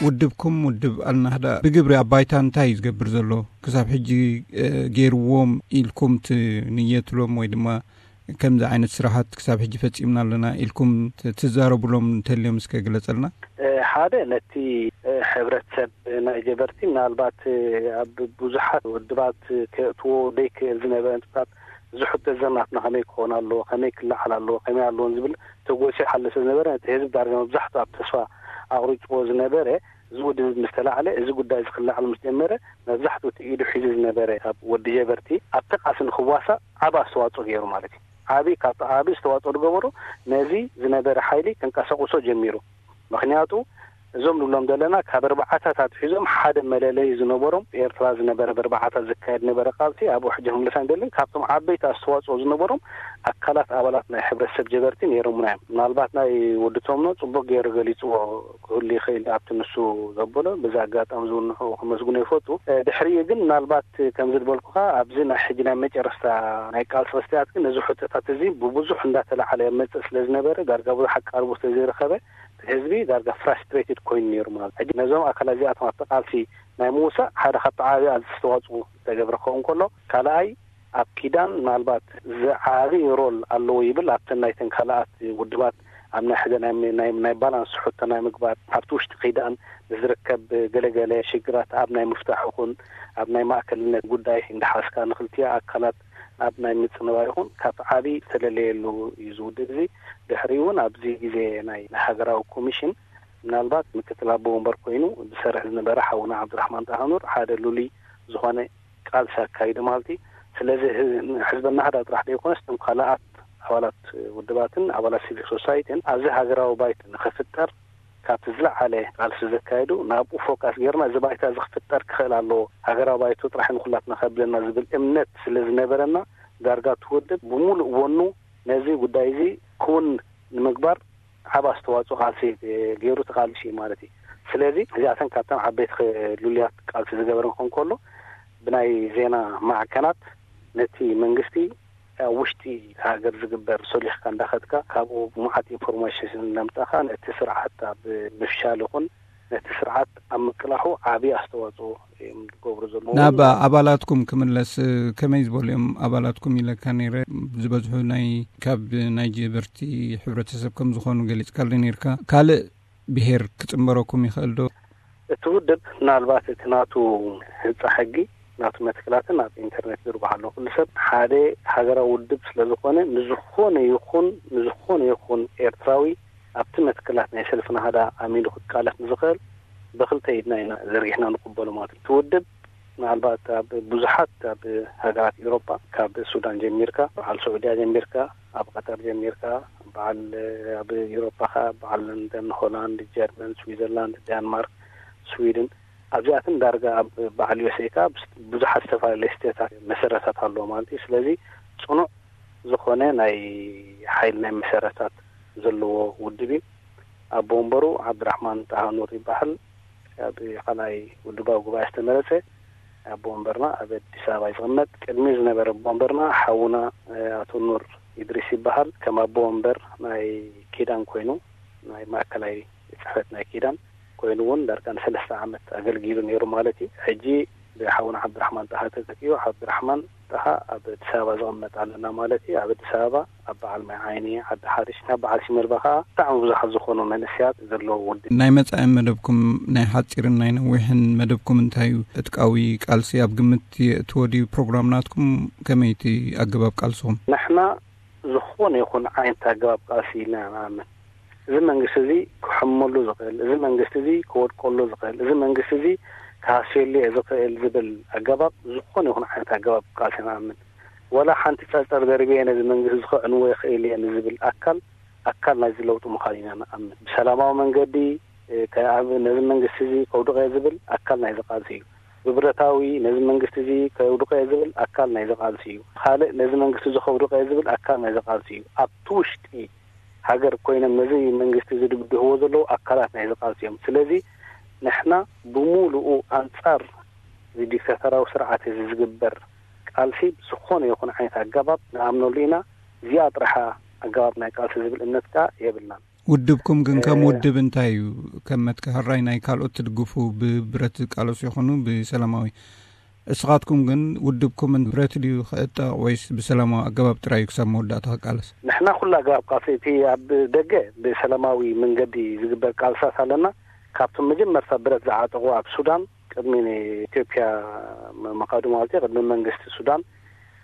ውድብኩም፣ ውድብ ኣልናህዳ፣ ብግብሪ ኣብ ባይታ እንታይ እዩ ዝገብር ዘሎ? ክሳብ ሕጂ ገይርዎም ኢልኩም ትንየትሎም ወይ ድማ ከምዚ ዓይነት ስራሓት ክሳብ ሕጂ ፈጺምና ኣለና ኢልኩም ትዛረቡሎም እንተልዮም እስከ ግለጸልና። ሓደ፣ ነቲ ሕብረተሰብ ናይ ጀበርቲ ምናልባት ኣብ ብዙሓት ውድባት ከእትዎ ዘይክእል ዝነበረ ንጥብታት፣ እዚ ሕቶ ዘናትና ከመይ ክኸውን ኣለዎ፣ ከመይ ክለዓል ኣለዎ፣ ከመይ ኣለዎን ዝብል ተጎሲሑ ሓለ ስለ ዝነበረ፣ ነቲ ህዝቢ ዳርጋ መብዛሕትኡ ኣብ ተስፋ ኣቕሪፅዎ ዝነበረ፣ እዚ ውድብ ምስ ተላዕለ፣ እዚ ጉዳይ እዚ ክለዓል ምስ ጀመረ፣ መብዛሕትኡ እቲ ኢዱ ሒዙ ዝነበረ ካብ ወዲ ጀበርቲ ኣብቲ ቃልሲ ንክዋሳእ ዓቢ ኣስተዋፅኦ ገይሩ ማለት እዩ። ዓቢ፣ ካብቲ ዓቢ ዝተዋፅኦ ዝገበሩ፣ ነዚ ዝነበረ ሓይሊ ከንቀሳቕሶ ጀሚሩ። ምክንያቱ እዞም ንብሎም ዘለና ካብ ኣርባዓታት ኣትሒዞም ሓደ መለለይ ዝነበሮም ኤርትራ ዝነበረ፣ ብኣርባዓታት ዝካየድ ነበረ ቃልሲ፣ ኣብኡ ሕጂ ክምለስ ኣይደልን። ካብቶም ዓበይቲ ኣስተዋፅኦ ዝነበሮም ኣካላት፣ ኣባላት ናይ ሕብረተሰብ ጀበርቲ ነይሮምና እዮም። ምናልባት ናይ ወዲ ቶምኖ ፅቡቅ ገይሩ ገሊፅዎ ክህሉ ይኽእል ኣብቲ ንሱ ዘበሎ። በዚ ኣጋጣሚ ዝውንሑ ክመስግኖ ይፈቱ። ድሕሪኡ ግን ምናልባት ከምዚ ዝበልኩኻ ኣብዚ ናይ ሕጂ ናይ መጨረስታ ናይ ቃልሲ ክስትያት ግን ነዚ ሕቶታት እዚ ብብዙሕ እንዳተላዓለ መፅእ ስለ ዝነበረ፣ ዳርጋ ብዙሕ ኣቃርቦ ስለ ዘይረኸበ፣ ህዝቢ ዳርጋ ፍራስትሬትድ ኮይኑ ነይሩ ማለት። ሕጂ ነዞም ኣካላት እዚኣቶም ኣብቲ ቃልሲ ናይ ምውሳእ ሓደ ካብቲ ዓቢ ኣስተዋፅኦ ዝተገብረ ክኸውን ከሎ፣ ካልኣይ ኣብ ኪዳን ምናልባት ዝዓቢ ሮል ኣለዎ ይብል። ኣብተን ናይተን ካልኣት ውድባት ኣብ ናይ ሕደ ናይ፣ ናይ፣ ናይ ባላንስ ሕቶ ናይ ምግባር፣ ኣብቲ ውሽጢ ኪዳን ንዝርከብ ገለገለ ሽግራት ኣብ ናይ ምፍታሕ ይኹን ኣብ ናይ ማእከልነት ጉዳይ እንዳሓዝካ ንክልቲኣ ኣካላት ኣብ ናይ ምጽንባር ይኹን ካብ ዓቢ ዝተለለየሉ እዩ ዝውድብ። እዚ ድሕሪ እውን ኣብዚ ግዜ ናይ ሃገራዊ ኮሚሽን ምናልባት ምክትል ኣቦ ወንበር ኮይኑ ዝሰርሕ ዝነበረ ሓውና ዓብዱራሕማን ጣሃኑር ሓደ ልሉይ ዝኾነ ቃልሲ ኣካይዱ ማለት እዩ። ስለዚ ህ-፣ ሕዝበና ህዳ ጥራሕ ዘይኮነስ እቶም ካልኣት ኣባላት ውድባትን ኣባላት ሲቪክ ሶሳይቲን ኣብዚ ሃገራዊ ባይታ ንኽፍጠር ካብቲ ዝለዓለ ቃልሲ ዘካየዱ ናብኡ ፎካስ ጌርና እዚ ባይታ እዚ ክፍጠር ክኽእል ኣለዎ፣ ሃገራዊ ባይቶ ጥራሕ ንኩላትና ከብለና ዝብል እምነት ስለ ዝነበረና ዳርጋ እቲ ውድብ ብምሉእ ወኑ ነዚ ጉዳይ እዚ ክውን ንምግባር ዓብ ኣስተዋፅኦ ቃልሲ ገይሩ ተቃልሲ እዩ ማለት እዩ። ስለዚ እዚኣተን ካብተን ዓበይቲ ክ-፣ ልሉያት ቃልሲ ዝገበረ ክኾን ከሎ ብናይ ዜና ማዕከናት ነቲ መንግስቲ ኣብ ውሽጢ ሃገር ዝግበር ሶሊኽካ እንዳኸድካ ካብኡ ብመዓት ኢንፎርሜሽን እናምጻኻ ነቲ ስርዓት ኣብ ምፍሻል ይኹን ነቲ ስርዓት ኣብ ምቅላሑ ዓቢ ኣስተዋጽኦ እዮም ዝገብሩ ዘለዉ። ናብ ኣባላትኩም ክምለስ፣ ከመይ ዝበሉ እዮም ኣባላትኩም ኢለካ ነይረ። ዝበዝሑ ናይ፣ ካብ ናይ ጀበርቲ ሕብረተሰብ ከም ዝኾኑ ገሊጽካሉ ነይርካ። ካልእ ብሄር ክጽንበረኩም ይኽእል ዶ? እቲ ውድብ ምናልባት እቲ ናቱ ህንጻ ሕጊ፣ ናቱ መትክላትን ኣብ ኢንተርኔት ዝርግሖ ኣሎ። ኩሉ ሰብ ሓደ ሃገራዊ ውድብ ስለ ዝኾነ፣ ንዝኾነ ይኹን፣ ንዝኾነ ይኹን ኤርትራዊ ኣብቲ መትክላት ናይ ሰልፊ ናህዳ ኣሚኑ ክቃለስ ንዝኽእል ብኽልተ ኢድና ኢና ዘርጊሕና ንቕበሎ ማለት እዩ። እቲ ውድብ ምናልባት ኣብ ብዙሓት ኣብ ሃገራት ኤውሮጳ፣ ካብ ሱዳን ጀሚርካ፣ በዓል ስዑድያ ጀሚርካ፣ ኣብ ቀጠር ጀሚርካ፣ በዓል ኣብ ኤውሮጳ ከኣ በዓል ለንደን፣ ሆላንድ፣ ጀርመን፣ ስዊዘርላንድ፣ ዳንማርክ፣ ስዊድን፣ ኣብዚኣትን ዳርጋ ኣብ በዓል ዩ ኤስ ኤ ከኣ ብዙሓት ዝተፈላለዩ ስቴታት መሰረታት ኣለዎ ማለት እዩ። ስለዚ ጽኑዕ ዝኾነ ናይ ሓይሊ ናይ መሰረታት ዘለዎ ውድብ እዩ። ኣቦ ወንበሩ ዓብድራሕማን ጣሃ ኑር ይበሃል። ኣብ ካልኣይ ውድባዊ ጉባኤ ዝተመረጸ ኣቦ ወንበርና ኣብ ኣዲስ ኣበባ እዩ ዝቕመጥ። ቅድሚ ዝነበረ ኣቦ ወንበርና ሓውና፣ እ፣ ኣቶ ኑር ኢድሪስ ይበሃል። ከም ኣቦ ወንበር ናይ ኪዳን ኮይኑ፣ ናይ ማእከላይ ጽሕፈት ናይ ኪዳን ኮይኑ እውን ዳርጋ ንሰለስተ ዓመት ኣገልጊሉ ነይሩ ማለት እዩ። ሕጂ ብሓውና ዓብድራሕማን ጣሃ ተተኪኡ፣ ዓብድራሕማን ጣሃ ኣብ ኣዲስ ኣበባ ዝቕመጥ ኣለና ማለት እዩ። ኣብ ኣዲስ ኣበባ ኣብ በዓል ማይ ዓይኒ፣ ዓዲ ሓሪሽ፣ ናብ በዓል ሲመልባ ከኣ ብጣዕሚ ብዙሓት ዝኾኑ መንእሰያት ዘለዎ ውድብ። ናይ መጻኢ መደብኩም፣ ናይ ሓጺርን ናይ ነዊሕን መደብኩም እንታይ እዩ? ዕጥቃዊ ቃልሲ ኣብ ግምት የእትዎ ድዩ ፕሮግራም ናትኩም? ከመይ እቲ ኣገባብ ቃልስኹም? ንሕና ዝኾነ ይኹን ዓይነት ኣገባብ ቃልሲ ኢልና ንኣምን። እዚ መንግስቲ እዚ ክሕመሉ ዝኽእል፣ እዚ መንግስቲ እዚ ክወድቀሉ ዝኽእል፣ እዚ መንግስቲ እዚ ክሃስየሉ እየ ዝኽእል ዝብል ኣገባብ፣ ዝኾነ ይኹን ዓይነት ኣገባብ ቃልሲ ንኣምን። ወላ ሓንቲ ጸርጸር ደርብየ ነዚ መንግስቲ እዚ ከዕንዎ ይኽእል እየ ንዝብል ኣካል፣ ኣካል ናይዚ ለውጢ ምዃኑ ኢና ንኣምን። ብሰላማዊ መንገዲ፣ እ፣ ከ-፣ ኣብ ነዚ መንግስቲ እዚ ከውድቐ ዝብል ኣካል ናይዚ ቃልሲ እዩ። ብብረታዊ ነዚ መንግስቲ እዚ ከውድቐ ዝብል ኣካል ናይዚ ቃልሲ እዩ። ካልእ ነዚ መንግስቲ እዚ ከውድቐ ዝብል ኣካል ናይዚ ቃልሲ እዩ። ኣብቲ ውሽጢ ሃገር ኮይኖም ነዚ መንግስቲ እዚ ዝድግፍዎ ዘለዉ ኣካላት ናይዚ ቃልሲ እዮም። ስለዚ ንሕና ብምሉኡ ኣንጻር እዚ ዲክታተራዊ ስርዓት እዚ ዝግበር ቃልሲ ብዝኾነ ይኹን ዓይነት ኣገባብ ንኣምነሉ ኢና። እዚኣ ጥራሕ ኣገባብ ናይ ቃልሲ ዝብል እምነት ከኣ የብልናን። ውድብኩም ግን ከም ውድብ እንታይ እዩ? ከም መትከ ሕራይ ናይ ካልኦት ትድግፉ፣ ብብረት ዝቃለሱ ይኹኑ ብሰላማዊ፣ እስኻትኩም ግን ውድብኩም ብረት ድዩ ክዕጠቕ ወይስ ብሰላማዊ ኣገባብ ጥራይ እዩ ክሳብ መወዳእታ ክቃለስ? ንሕና ኩሉ ኣገባብ ቃልሲ፣ እቲ ኣብ ደገ ብሰላማዊ መንገዲ ዝግበር ቃልሳት ኣለና። ካብቶም መጀመርታ ብረት ዝዓጠቑ ኣብ ሱዳን ቅድሚ ኢትዮጵያ ምኻዱ ማለት እዩ፣ ቅድሚ መንግስቲ ሱዳን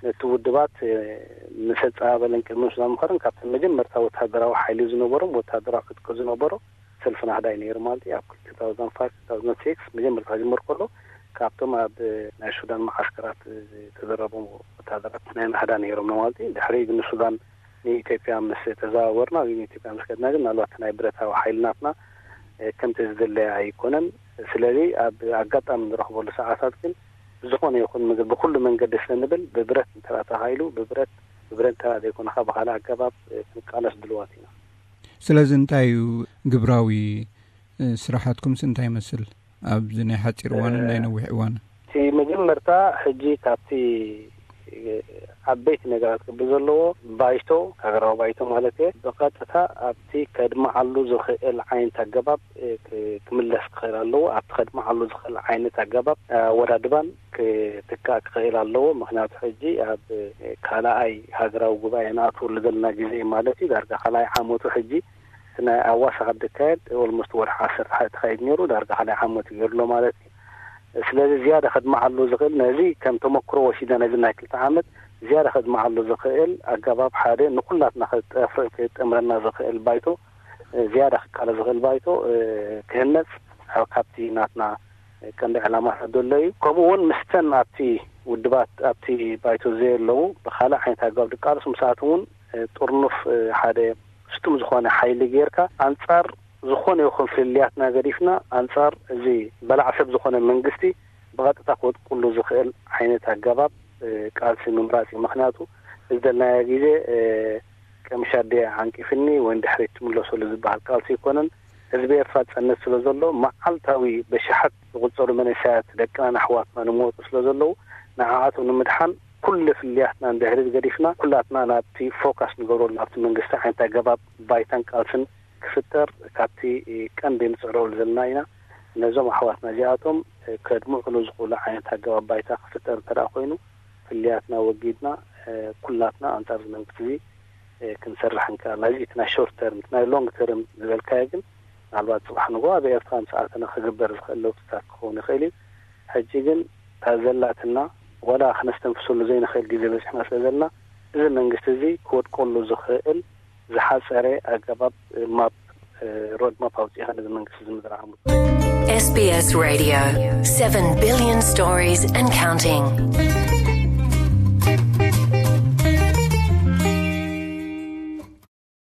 ነቲ ውድባት ምስ ኣጸባበለን ቅድሚ ሱዳን ምኸርን ካብቶም መጀመርታ ወታደራዊ ሓይሊ ዝነበሮም፣ ወታደራዊ ዕጥቂ ዝነበሮ ሰልፊ ናህዳ እዩ ነይሩ ማለት እዩ። ኣብ two thousand five two thousand six መጀመርታ ክጅምር ከሎ ካብቶም ኣብ ናይ ሱዳን መዓስከራት ዝተደረቡ ወታደራት ናይ ናህዳ ነይሮም ማለት እዩ። ድሕሪ ግን ሱዳን ንኢትዮጵያ ምስ ተዘዋወርና ወይ ንኢትዮጵያ ምስ ከድና ግን ምናልባት ናይ ብረታዊ ሓይልናትና ከምቲ ዝድለያ ኣይኮነን። ስለዚ ኣብ ኣጋጣሚ ንረኽበሉ ሰዓታት ግን ብዝኾነ ይኹን ምግብ ብኩሉ መንገዲ ስለ ንብል ብብረት እንተ ተኻኢሉ ብብረት ብብረት እንተ ዘይኮነ ብካልእ ኣገባብ ክንቃለስ ድልዋት ኢና። ስለዚ እንታይ እዩ ግብራዊ ስራሓትኩምስ እንታይ ይመስል ኣብዚ ናይ ሓፂር እዋንን ናይ ነዊሕ እዋን? እቲ መጀመርታ ሕጂ ካብቲ ዓበይቲ ነገራት ክብል ዘለዎ ባይቶ፣ ሃገራዊ ባይቶ ማለት እየ፣ ብቐጥታ ኣብቲ ከድምዓሉ ዝኽእል ዓይነት ኣገባብ ክምለስ ክኽእል ኣለዎ። ኣብቲ ከድምዓሉ ዝኽእል ዓይነት ኣገባብ ኣወዳድባን ክትካእ ክኽእል ኣለዎ። ምክንያቱ ሕጂ ኣብ ካልኣይ ሃገራዊ ጉባኤ ንኣትወሉ ዘለና ግዜ ማለት እዩ። ዳርጋ ካልኣይ ዓመቱ ሕጂ እቲ ናይ ኣዋሳ ካብ ዝካየድ ኦልሞስት ወርሒ ዓሰርተ ሓደ ተኻይድ ነይሩ፣ ዳርጋ ካልኣይ ዓመቱ ገይሩሎ ማለት እዩ። ስለዚ ዝያዳ ከድምዓሉ ዝኽእል ነዚ ከም ተመክሮ ወሲዳ ነዚ ናይ ክልተ ዓመት ዝያዳ ከድምዓሉ ዝኽእል ኣገባብ ሓደ ንኩላትና ክጠምረና ዝኽእል ባይቶ፣ ዝያዳ ክቃለ ዝኽእል ባይቶ ክህነፅ ካብቲ ናትና ቀንዲ ዕላማታት ዘሎ እዩ። ከምኡ እውን ምስተን ኣብቲ ውድባት ኣብቲ ባይቶ ዘየለዉ ብካልእ ዓይነት ኣገባብ ዝቃለሱ ምስኣቶም እውን ጥርኑፍ ሓደ ስጡም ዝኾነ ሓይሊ ጌርካ ኣንጻር ዝኾነ ይኹን ፍልልያትና ገዲፍና ኣንጻር እዚ በላዕ ሰብ ዝኾነ መንግስቲ ብቐጥታ ክወድቁሉ ዝኽእል ዓይነት ኣገባብ ቃልሲ ምምራፅ እዩ። ምክንያቱ እዚ ዘለናዮ ግዜ ቀምሻ ኣደ ዓንቂፍኒ ወይ ድሕሪት ትምለሰሉ ዝበሃል ቃልሲ ኣይኮነን። ህዝቢ ኤርትራ ጸነት ስለ ዘሎ መዓልታዊ በሽሓት ዝቑጸሩ መንእሰያት ደቅናን ኣሕዋትና ንመወጡ ስለ ዘለዉ ንዓኣቶም ንምድሓን ኩሉ ፍልልያትና ንድሕሪት ገዲፍና ኩላትና ናብቲ ፎካስ ንገብረሉ ናብቲ መንግስቲ ዓይነት ኣገባብ ባይታን ቃልስን ክፍጠር ካብቲ ቀንዲ ንጽዕረሉ ዘለና ኢና። ነዞም ኣሕዋትና እዚኣቶም ከድምዑሉ ዝኽእሉ ዓይነት ኣገባብ ባይታ ክፍጠር እንተ ደኣ ኮይኑ ፍልልያትና ወጊድና ኩላትና ኣንጻር እዚ መንግስቲ እዚ ክንሰርሕ እንከኣልና። እዚ እቲ ናይ ሾርት ተርም፣ እቲ ናይ ሎንግ ተርም ዝበልካዮ ግን ምናልባት ጽባሕ ንግሆ ኣብ ኤርትራ ምስ ኣተና ክግበር ዝኽእል ለውጥታት ክኸውን ይኽእል እዩ። ሕጂ ግን እታ ዘላትና ዋላ ክነስተንፍሰሉ ዘይንኽእል ግዜ በጺሕና ስለ ዘለና እዚ መንግስቲ እዚ ክወድቀሉ ዝኽእል ዝሓጸረ ኣገባብ ማፕ ሮድ ማፕ ኣውጺእኻ ነዚ መንግስቲ እዚ ምድርዓሙ። S B S Radio, seven billion stories and counting.